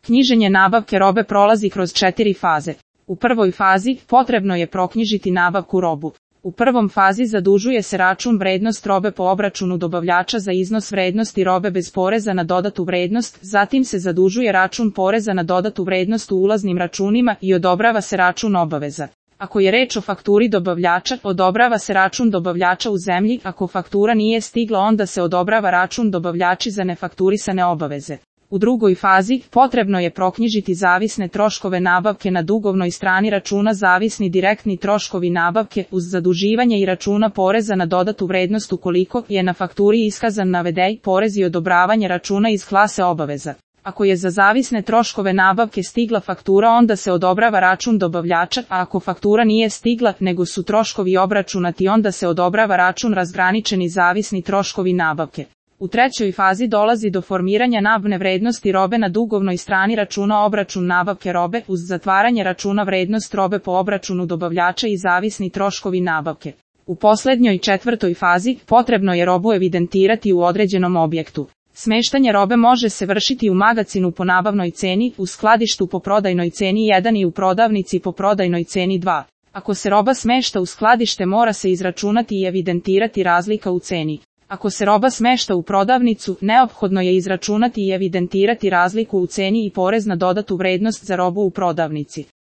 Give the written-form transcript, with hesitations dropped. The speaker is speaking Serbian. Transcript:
Knjiženje nabavke robe prolazi kroz 4 faze. U prvoj fazi potrebno je proknjižiti nabavku robu. U prvom fazi zadužuje se račun vrednost robe po obračunu dobavljača za iznos vrednosti robe bez poreza na dodatu vrednost, zatim se zadužuje račun poreza na dodatu vrednost u ulaznim računima i odobrava se račun obaveza. Ako je reč o fakturi dobavljača, odobrava se račun dobavljača u zemlji, ako faktura nije stigla onda se odobrava račun dobavljači za nefakturisane obaveze. U drugoj fazi, potrebno je proknjižiti zavisne troškove nabavke na dugovnoj strani računa zavisni direktni troškovi nabavke uz zaduživanje i računa poreza na dodatu vrednost ukoliko je na fakturi iskazan navedeni porez i odobravanje računa iz klase obaveza. Ako je za zavisne troškove nabavke stigla faktura onda se odobrava račun dobavljača, a ako faktura nije stigla nego su troškovi obračunati onda se odobrava račun razgraničeni zavisni troškovi nabavke. U trećoj fazi dolazi do formiranja nabavne vrednosti robe na dugovnoj strani računa obračun nabavke robe uz zatvaranje računa vrednost robe po obračunu dobavljača i zavisni troškovi nabavke. U posljednjoj četvrtoj fazi potrebno je robu evidentirati u određenom objektu. Smeštanje robe može se vršiti u magacinu po nabavnoj ceni, u skladištu po prodajnoj ceni 1 i u prodavnici po prodajnoj ceni 2. Ako se roba smešta u skladište mora se izračunati i evidentirati razlika u ceni. Ako se roba smešta u prodavnicu, neophodno je izračunati i evidentirati razliku u ceni i porez na dodatu vrednost za robu u prodavnici.